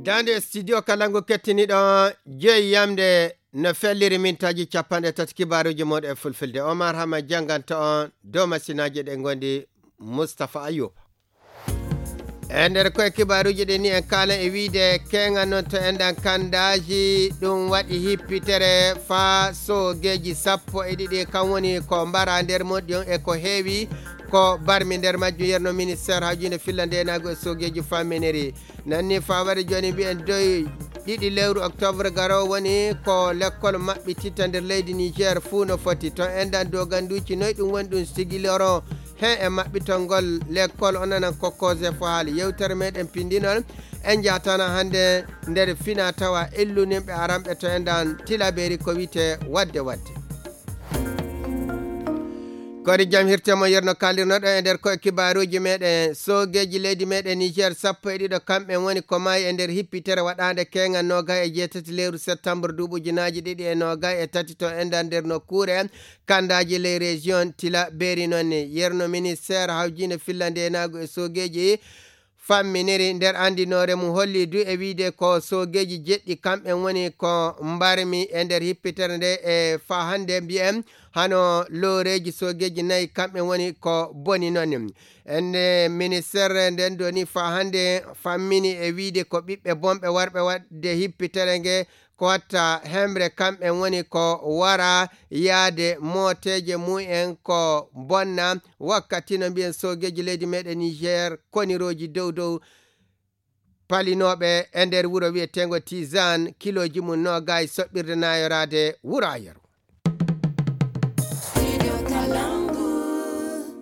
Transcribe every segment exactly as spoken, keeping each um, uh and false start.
Tande studio Kalangu kettiniɗo joyi yamde no felliri mintaaji capanɗe tati kibaaruuji mooɗon e fulfulde. Omar Hama jannganta on dow masinaaji ɗe ngondi Mustapha Ayuba. E nder koye kibaaruuji ɗi ni en kaalan e wiide keeŋa noon to enɗan kanndaaji ɗum waɗi hippitere faa soogeeji sappo e ɗiɗi kam woni ko mbara nder moɗɗi on e ko heewi ko barmi nder majjum yerno ministeer hawjinde filla ndeenaagu e soogeeji famminiri. Nanni faa waɗi jooni mbiyen doy ɗiɗi lewru octobre garo woni ko lekkol maɓɓititta nder leydi Niger fuu no foti. To enɗan doganduuci noy ɗum woni ɗum sigiloro heen e maɓɓitol ngol lekkol o nanan ko kose fo haali. Yewtere meɗen pindinol en jatana hannde nder fina tawa illuninɓe aranɓe to enɗan tilaberi ko wiyte wadde wadde. Kori jam hirte mo yerno kalirnoɗo e nder koye kibaaruuji meɗen. Soogeeji leydi meɗen Niger sappo e ɗiɗo kamɓe woni ko maayi e nder hippitere waɗaande keeŋa noogay e jeetati lewru septembre duuɓi ujunaaji ɗiɗi e noogay e tati to enɗan nder nokkuure kandaaji ley région tila beeri noon ni. Yerno ministeer hawjinde filla ndeenaagu e soogeeji famminiri nder anndinoore mum holli du e wiide ko soogeeji jeɗɗi kamɓe woni ko mbarmi e nder hippitere nde e faa hannde mbiyen hano looreeji soogeeji nayi kamɓe woni ko boni noon. Ende ministeer nden doni faa hannde fammini e wiide ko ɓiɓɓe bonɓe warɓe waɗde hippitere nge ko watta hemre kamɓe woni ko wara yaade mooteeje mumen ko bonna wakkati no mbiyen soogeeji leydi meɗen Niger konirooji dow dow palinooɓe e nder wuro wiyeteengo Tizan kilooji mum noogay soɓɓirde naayoraade wuro Ayeru.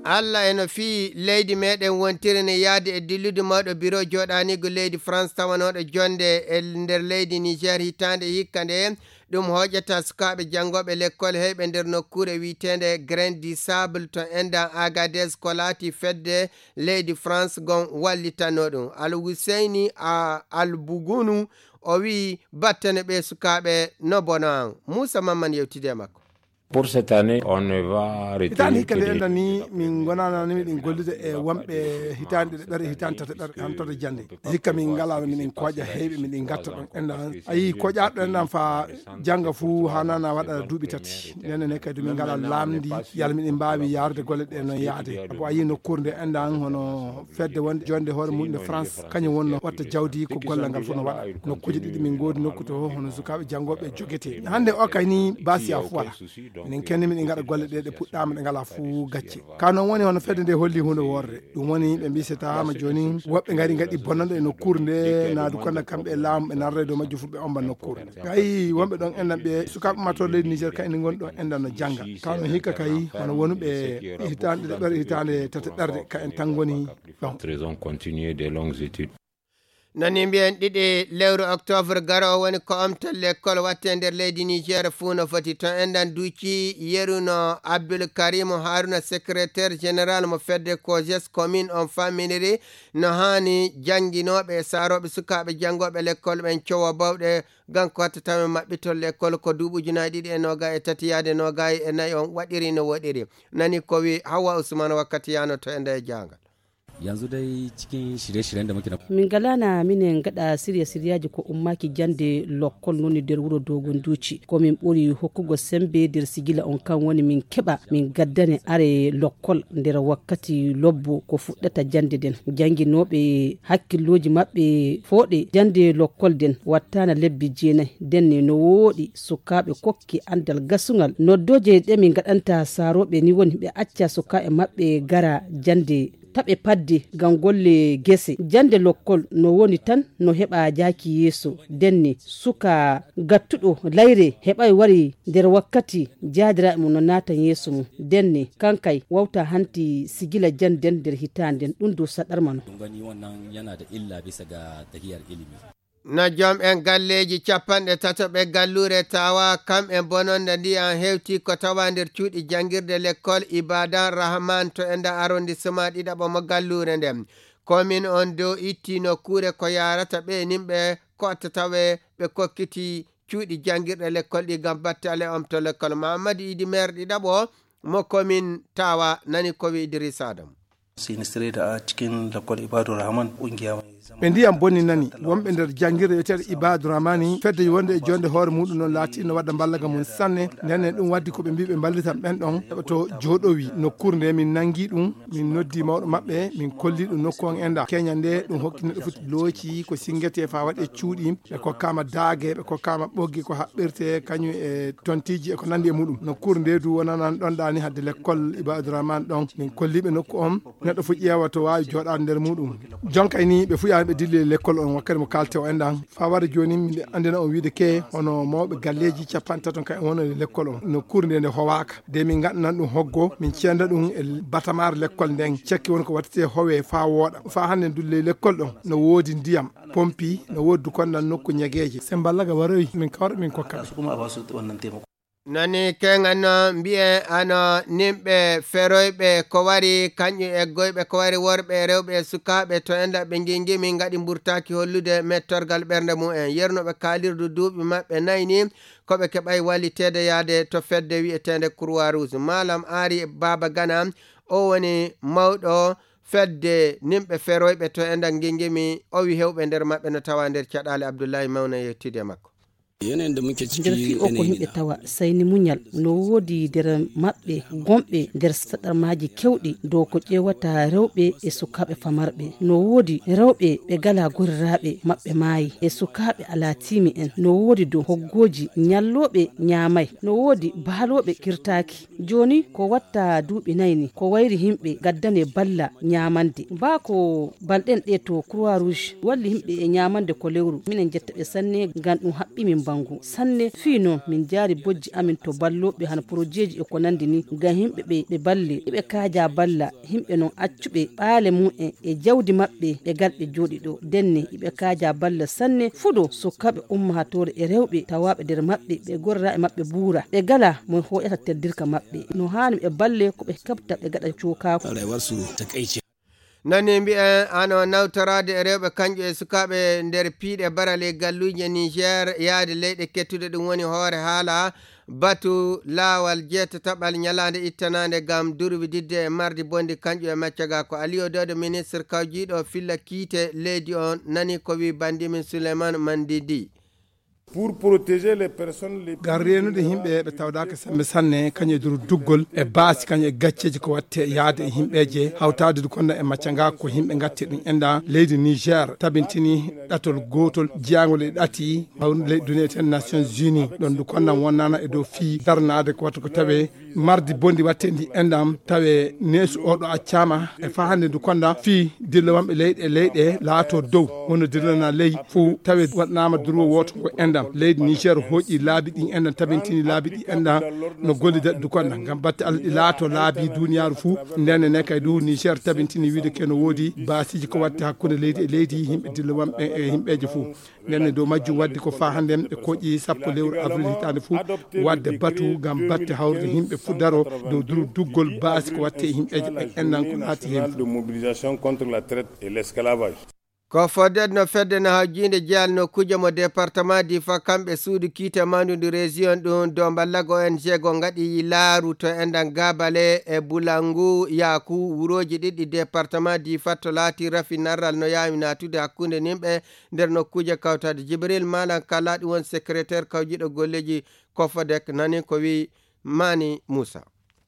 Allah e no fii leydi meɗen wontiri ne yaade e dillude mawɗo biro jooɗaniigo leydi France tawanooɗo jonde e nder leydi Niger hitaande hikka nde ɗum hooƴata sukaaɓe janngooɓe lekkol heyɓe nder nokkuure wiyeteende Grain du Sable to endan Agadez ko laati fedde leydi France gon wallitanno ɗum. Al Huseyni a Al Bugunu o wiyi battane ɓe sukaaɓe no bono an. Muusa Mamman yewtide e makko. Pour cette année, on ne va retenir hitaande hikka nde enɗan ni min ngonanani miɗen gollude e wonɓe hitaande ɗiɗaɓere hitaande tataɓere hantoto jannde. Hikka min ngalano miɗen kooƴa heyɓe miɗen gatta ɗon enɗan a yii kooƴaɗo enɗan fa jannga fuu hanana waɗa duuɓi tati. Ndenen ne kadi min ngala laamndi yalla miɗen mbaawi yaarude golle ɗe no yaade. Abo a yii nokkuure nde enɗan hono fedde wonde jonde hoore mum nde France kañum wonno watta jawdi ko gollal ngal fof no waɗa. Nokkuuje ɗiɗi min ngoodi nokku to hono sukaaɓe janngooɓe jogete hannde o kay ni basiya fof wala. Minen kenni miɗen ngaɗa golle ɗe ɗe puɗɗaama ɗe ngalaa fof gacce. Ka noon woni hono fedde nde holli huunde worre. Ɗum woni ɓe mbisetaama jooni woɓɓe ngari ngaɗi bonnande e nokkuure nde naadu konda kamɓe e laamu ɓe narra e dow majjum fof ɓe omba nokkuure nde. Kay wonɓe ɗon enɗan ɓe sukaaɓe matoo leydi Niger kay ni ngoni ɗon enɗan no jannga. Ka noon hikka kay hono wonuɓe hitaande ɗiɗaɓere hitaande tataɓere ka en tan ngoni ɗon. Raison continuer des longues études. Nani mbiyen ɗiɗi lewru octobre garo woni ko omtel lekkol watte nder leydi Niger fuu no foti to enɗan duuci yeruno Abdul Karimu Haruna secrétaire général mo fedde kojes commune on famminiri no haani jannginooɓe e saarooɓe sukaaɓe janngooɓe lekkol ɓen cowa bawɗe ngam ko watta tawen maɓɓitol lekkol ko duuɓi ujunaaji ɗiɗi e noogaay e tati yaade noogaay e nayi on waɗiri no woɗiri. Nani ko wi Hawwa Usman wakkati yaano to e nde e jaangal. Yanzu dai cikin shirye-shiryen da muke na min galana minen gaɗa sirya siryaji ko ummaki jande lokkol noni nder wuro dogon duci ko min ɓuri hokkugo sembe nder sigila on kan woni min keɓa min gaddane are lokkol nder wakkati lobbo ko fuɗɗata jande nden jannginoɓe hakkilloji maɓɓe fooɗe jande lokkol nden wattana lebbi jeenayi ndenne no wooɗi sukaaɓe kokki andal gasungal noddoje ɗe min gaɗanta saroɓe ni woni ɓe acca sukaaɓe maɓɓe gara jande taɓe padde ngam golle gese jande lokkol no woni tan no heɓa jaaki yeeso ndenne suka gattuɗo layre heɓay wari nder wakkati jaadiraaɓe mum no naatan yeeso mum ndenne kankay wawta hanti sigila jande nden nder hitaande nden ɗum dow saɗarma no ɗum gani wannan yana da illa bisa ga tahiyar ilimi no joom en galleeji capanɗe tato ɓe galluure tawa kam en bononda ndiyan hewti ko tawa nder cuuɗi janngirde lekkol ibadan rahman to e nda arrondissement ɗiɗaɓo mo galluure nden komin on dow itti nokkuure ko yarata ɓe nimɓe kotta tawe ɓe kokkiti cuuɗi janngirɗe lekkol ɗi ngam battale omto lekkol mahammadu idi maire ɗiɗaɓo mo komin tawa nani ko wi idrissa adam Sinistré da a cikin lakwal Ibadu Rahman, ƙungiya mai zaman. Ɓe ndiyam bonni nani, wonɓe nder janngirde wiyeteeɗo Ibadu Rahmani, fedde wonde e jonde hoore muɗum noon laati no wadda mballaga mum sanne. Nden ɗum waddi ko ɓe mbi ɓe mballitan ɓen ɗon, heɓa to jooɗowi nokkuure nde min nanngi ɗum, min noddi mawɗo maɓɓe, min kolli ɗum nokku on enda. Keña nde ɗum hokki neɗɗo foti looci ko singete fa waɗe cuuɗi, ɓe kokkaama daage, ɓe kokkaama ɓoggi ko haɓɓirte kañum e tontiji e ko nandi e muɗum. Nokkuure nde du wonanan ɗon ɗaani hadde lekkol Ibadu Rahman ɗon. Min kolli ɓe nokku on, neɗɗo fof ƴeewa to waawi jooɗaade nder muɗum. Jonkay ni ɓe fuyaani ɓe dilli e lekkol on wakkati mo kaalte o enɗan. Faa wara jooni miɗo anndina on wiide ke hono mawɓe galleeji capanɗe tato kay woni e lekkol on. Nokkuure nde nde howaaka. De min ngaɗanan ɗum hoggo, min cenda ɗum e batamaare lekkol nden. Cekki woni ko wattete howe faa wooɗa. Faa hannde ndu ley lekkol ɗon no woodi ndiyam, pompi, no woodi dukonnal nokku ñageeje. Semballaga waroyi, min kawra min kokka ɓe. Nani keŋan no mbi'e ano nimɓe feroyɓe ko wari kañƴum eggoyɓe ko wari worɓe e rewɓe e sukaaɓe to enda ɓe ngingimi ngaɗi mburtaaki hollude mettorgal ɓernde mumen. Yernoɓe kaalirdu duuɓi maɓɓe nayi ni ko ɓe keɓay walliteede yaade to fedde wi'eteende Croix Rouge. Malam Ari Baba Gana, o woni mawɗo fedde nimɓe feroyɓe to enda ngingimi, o wi hewɓe nder maɓɓe no tawa nder caɗaale. Abdullahi Mawna yettude e makko. Nder fii o ko yimɓe tawa sayni muñal, no woodi nder maɓɓe gomɓe nder saɗarmaaji kewɗi dow ko ƴeewata rewɓe e sukaaɓe famarɓe. No woodi rewɓe ɓe gala goriraaɓe maɓɓe maayi e sukaaɓe alaa tiimi en. No woodi dow hoggooji ñallooɓe ñaamay. No woodi baalooɓe kirtaaki. Jooni ko watta duuɓi nayi ni, ko wayri yimɓe gaddane balla ñaamande. Baa ko balɗen ɗe to Croix Rouge walli yimɓe e ñaamande ko lewru. Minen jetta ɓe sanne ngam ɗum haɓɓi min bangu. Sanne fii noon min jaari bojji amin to ballooɓe hano porojeeji e ko nandi ni ngam yimɓe ɓe ɓe balle. Iɓe kaaja balla yimɓe noon accuɓe ɓaale mum en e jawdi maɓɓe ɓe galɓe jooɗi ɗo. Denne iɓe kaaja balla sanne fuɗo sukaaɓe ummaatoore e rewɓe tawaaɓe nder maɓɓe ɓe gorra e maɓɓe buura. Ɓe gala mo hoƴata teddirka maɓɓe. No haani ɓe balle ko ɓe keɓta ɓe gaɗa cookaaku. Nani mbi'en ano nawtoraade e rewɓe kanƴe e sukaaɓe nder piiɗe barale galluuje Niger yaade leyɗe kettuɗe ɗum woni hoore haala batu laawal jeetataɓal ñalaande ittanaande ngam durwididde e mardi bondi kanƴu e maccaga ko Aliyo Dodo ministre kawjiiɗo filla kiite leydi on nani ko wi bandimin Suleiman Mandidi. Pour protéger les personnes les ngam reenude yimɓe ɓe tawdaaka sembe sanne kañum e duru duggol e baasi kañum e gacceeji ko watte yaade e yimɓeeje hawtaade du konda e macca nga ko yimɓe ngatti ɗum enda leydi Niger tabintini ɗatol gootol jiyangol e ɗati hawrude leydi duniyeten Nations Unies ɗon du konda wonnana e dow fii darnaade ko watta ko tawe mardi bondi watte ndi endam tawe neesu oɗo accama e fahande ndu konda fii dilla wamɓe leyɗe e leyɗe laato dow wono dillana ley fuu tawe waɗnama durwo wooto ngo endam leydi Niger hooƴi laabi ɗi endam tabintini laabi ɗi endam no gollida du konda ngam batte Allah ɗi laato laabi duniyaaru fuu ndenne ne kay du Niger tabintini wiide ke no woodi baasiji ko watte hakkunde leydi e leydi yimɓe dilla wamɓe e yimɓeje fuu Nden ne dow majjum waddi ko faa hannde e koƴi sappo lewru avril hitaande fuu wadde batu ngam batte hawrude yimɓe fuu daro dow duru duggol baasi ko watte e yimɓeeje ɓen ennan ko laati heen fuu. De mobilisation contre la traite et l'esclavage. Ko fodde no fedde no hawjiinde jeyal nokkuuje mo département Diffa kamɓe suudu kiite mawndu ndu région ɗum dow mballago O N G go ngaɗi laaru to enɗan Gabale e Bulangu Yaaku wurooji ɗiɗi département Diffa to laati rafi narral no yaawi naatude hakkunde nimɓe nder nokkuuje kawtaade. Jibril Malam Kala ɗum woni secrétaire kawjiiɗo golleeji Kofodek nani ko wi Mani Moussa.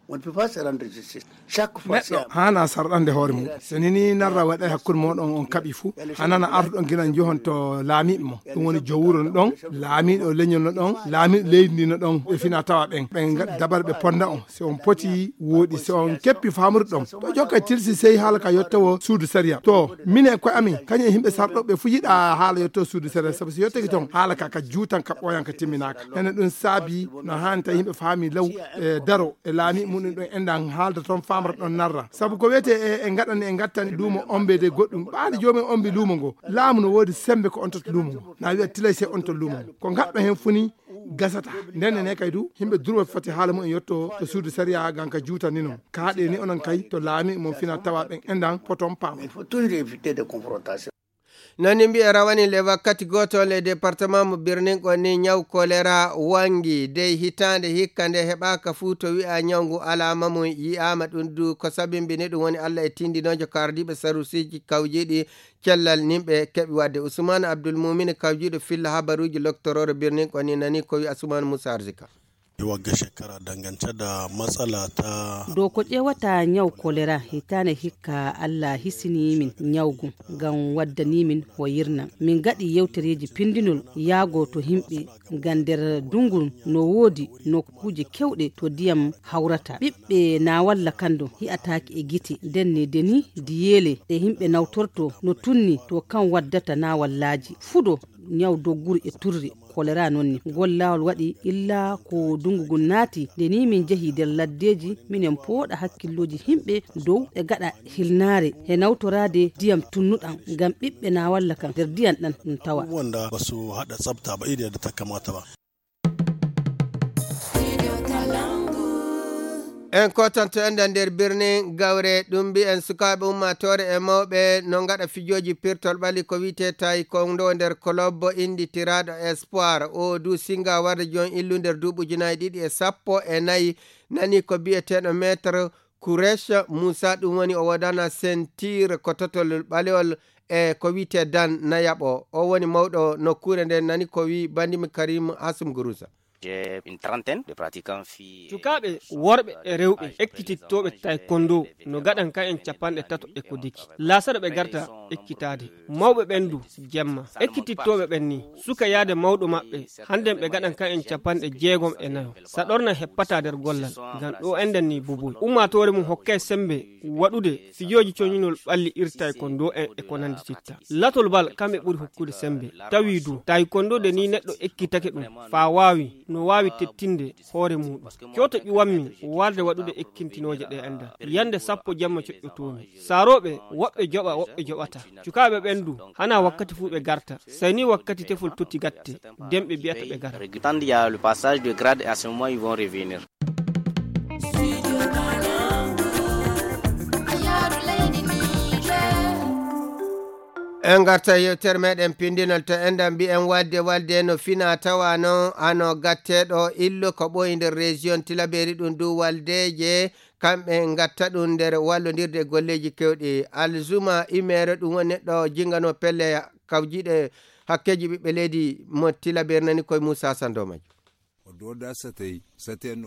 On ne peut pas se rendre justice. Chaque fois, neɗɗo haana sarɗande hoore mum. So nini narra waɗa e hakkunde moɗon on kaɓi fuu, hanana artuɗon gila njohon to laamiiɓe mo. Ɗum woni joom wuro no ɗon, laamiiɗo leñol no ɗon, laamiiɗo leydi ndi no ɗon, ɓe fina tawa ɓen. Ɓen ngaɗi dabare ɓe ponda on. Si on poti wooɗi, si on keppi faamude ɗon. To jokka tilsi sey haala ka yottawo suudu sariya. To minen e koye amin, kañum e yimɓe sarɗoɓe fuu yiɗa haala yottawo suudu sariya. Sabu si yottake ton, haala ka ka juutan ka ɓooyan ka timminaaka. Ene ɗum saabi no haani tawi yimɓe faami law e daro e laami muɗum ɗon enɗan haalda ton faamata ɗon narra. Sabu ko wiyete e, e ngaɗani e ngattani luumo ombe de goɗɗum. Ɓaade joomi ombi luumo ngo. Laamu no woodi sembe ko on totta luumo ngo. Na wiya tilay sey on to luumo ngo. Ko ngaɗɗo heen fuu ni gasata. Nden ne kay du, yimɓe durwa foti haala mum en yotto to suudu sariya ngam ka juutani non. Kaaɗe ni onon kay to laami mon fina tawa ɓen enɗan poton paama. Il faut toujours éviter des confrontations. Nani mbiya rawani le wakkati gootol e département mo Birningo ni, ñaw kolera wangi dey hitaande hikka nde heɓaaka fuu to wi'a ñaw ngu alaama mum yi'aama. Ɗum du ko sabimbini ɗum woni Allah e tindinoojo kaardiiɓe sarusiiji kawjiiɗi cellal nimɓe keɓi waɗde. Usman Abdul Mumin kawjiiɗo filla habaruuji loktoroore Birningo ni nani ko wi'a Usman Musa Arzika. Wagga shekara dangance da matsala ta Dow ko ƴeewata ñaw kolera, hitaande hikka Allah hisini min ñaw ngun, ngam waddani min o yirnan. Min ngaɗi yewtereeji pindinol yaago to yimɓe, ngam nder dungu no woodi nokkuuje kewɗe to ndiyam hawrata. Ɓiɓɓe naawalla kan ɗon hi'ataaki e gite, nden ni deni diyeele ɗe yimɓe nawtorto no tunni to kan waddata naawallaaji. Fudo ñaw dogguru e turri kolera non ni. Ngol laawol waɗi illa ko dungu ngun naati, nde ni min njehi nder laddeeji, minen pooɗa hakkillooji yimɓe dow ɓe gaɗa hilnaare e nawtoraade ndiyam tunnuɗam, ngam ɓiɓɓe naawalla kan nder ndiyam ɗam ɗum tawa. Wanda ba su haɗa tsafta ba iri yadda ta kamata ba. En kotanto enɗan nder birni Gawre, ɗum mbi'en sukaaɓe ummaatoore e mawɓe no ngaɗa fijooji pirtol ɓalli ko wi'etee taekwondo nder kolobbo innditiraaɗo Espoir. O du singa warde jon illu nder duuɓi ujunaaji ɗiɗi e sappo e nayi, nani ko bi'eteeɗo maître Kuresh Musa, ɗum woni o wodana sentir ko totol ɓalewol e ko wi'etee dan na yaɓo. O woni mawɗo nokkuure nden, nani ko wi bandimi Karim Hasum Gurusa. J'ai une trentaine de pratiquants filles. Cukaaɓe worɓe e rewɓe ekkitittooɓe taekwondo no gaɗan ka'en capanɗe tato e ko deki. Laasara ɓe garta ekkitaade. Mawɓe ɓen du jemma. Ekkitittooɓe ɓen ni, suka yaade mawɗo maɓɓe, hannden ɓe gaɗan ka'en capanɗe jeegom e nayo. Saɗorna heppataa nder gollal, ngam ɗo enɗan ni buboy. Ummaatoore mum hokkay sembe waɗude fijooji coñinol ɓalli ir taekwondo en e ko nanndititta. Latol bal kamɓe ɓuri hokkude sembe. Tawi du, taekwondo de ni neɗɗo ekkitake ɗum, faa waawi, no waawi tettinde hoore muuɗum. Cooto ƴuwammi warde waɗude ekkintinooje ɗe enɗan. Yande sappo jamma coƴƴotoomi. Saarooɓe, woɓɓe joɓa, woɓɓe joɓata. Cukaaɓe ɓen du, hana wakkati fuu ɓe garta. Sey ni wakkati tefol totti gatte, den ɓe biyata ɓe gara. Quand il y a le passage de grade, à ce moment, ils vont revenir. En ngarta yewtere meɗen pindinol to enɗan mbi'en walde, walde no fina tawa noon hano gatteɗo illo ko ɓooyi nder région Tilaberi, ɗum du waldeje kamɓe ngatta ɗum nder wallondirde e golleeji kewɗi. Alzuma Imere ɗum woni neɗɗo jingano pelle kawjiɗe hakkeeji ɓiɓɓe leydi mo Tilaberi nani koye Moussa Sando Maji.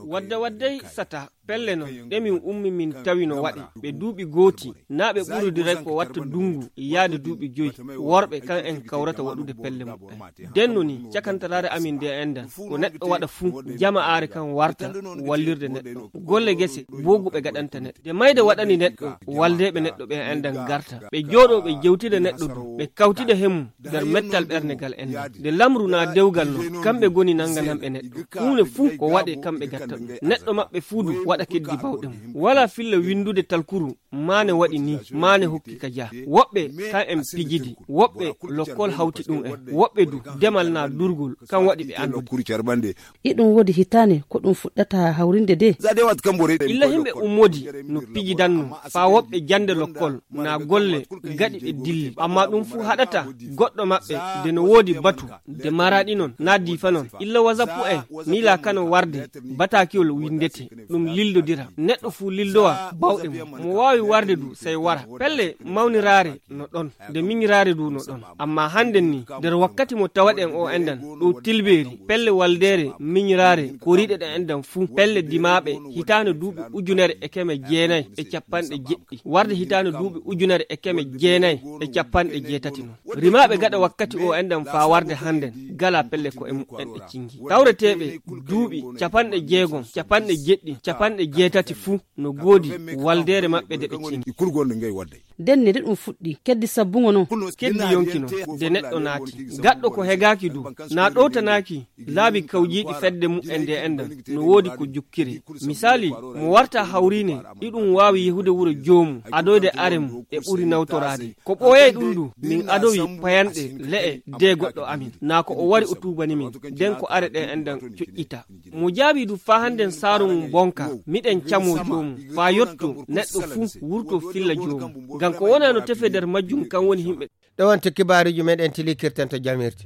Wadda waddey sata pelle non ɗe min ummi min tawi no waɗe ɓe duuɓi gooti, naa ɓe ɓurudiray ko watta dungu yaade duuɓi joyi. Worɓe kan en kawrata waɗude pelle muɓɓen. Denno ni cakantaraare amin nde enɗan ko neɗɗo waɗa fuu, jama aare kan warta wallirde neɗɗo. Golle gese boogu ɓe gaɗanta neɗɗo. De mayde waɗani neɗɗo, waldeeɓe neɗɗo ɓe enɗan garta. Ɓe jooɗoo ɓe jewtida neɗɗo du, ɓe kawtida hemmu nder mettal ɓernde gal enɗan. De lamru naa dewgal non, kamɓe goni nangananɓe neɗɗo. Huunde fuu ko waɗe kamɓe gatta ɗum. Neɗɗo maɓɓe fuu du waɗa keddi bawɗe mum. Walaa filla winndude talkuru, maane waɗi ni, maane hokki ka jaa. Woɓɓe kan en pijidi, woɓɓe lokkol hawti ɗum en, woɓɓe du demal naa durgol, kan waɗi ɓe anndude. Iɗum woodi hitaande ko ɗum fuɗɗata hawrinde de. Illa himɓe ummodi no pijidanno, faa woɓɓe jannde lokkol, naa golle gaɗi ɗe dilli. Amma ɗum fuu haɗata goɗɗo maɓɓe de no woodi batu, de maraɗi non, naa diifa non. Illa wasapu en, miila kano warde, bataakiwol winndete, ɗum lildodira. Neɗɗo fuu lildowa bawɗe mum. Mo waawi warde du, sey wara. Pelle mawniraare no ɗon, de miñiraare du no ɗon. Amma hannden ni, nder wakkati mo tawaɗen o enɗan, ɗo Tilbeeri, pelle waldeere miñiraare, koriiɗe ɗe enɗan fuu, pelle dimaaɓe, hitaande duuɓi ujunere e keme jeenayi e capanɗe jeɗɗi, warde hitaande duuɓi ujunere e keme jeenayi e capanɗe jeetati non. Rimaaɓe gaɗa wakkati o enɗan faa warde hannden, gala pelle ko e muɓɓen ɗe cingi. Tawreteeɓe duuɓi capanɗe jeegom, capanɗe jeɗɗi, capanɗe jeetati fuu, no goodi waldeere maɓɓe de ɓe cingi. Denne de ɗum fuɗɗi, keddi sabbungo non. Keddi yonki non, de neɗɗo naati. Gaɗɗo ko hegaaki du, naa ɗowtanaaki laabi kawjiiɗi fedde mu'en de enɗan, no woodi ko jukkire. Misaali, mo warta hawriine, iɗum waawi yehude wuro joomum, adoyde are mum, e ɓuri nawtoraade. Ko ɓooyay ɗum du, min adowi payanɗe le'e de goɗɗo amin. Naa ko o wari o tuubani min, den ko are ɗe enɗan coƴƴita. Mo jaabii du faa hannden saaru mum bonka, miɗen camoo joomum, faa yotto neɗɗo fuu wurtoo filla joomum. Ngam ko wonaa no tefe nder majjum kan woni himɓe. Ɗo wonti kibaaruuji meɗen tilikirten to jamirti.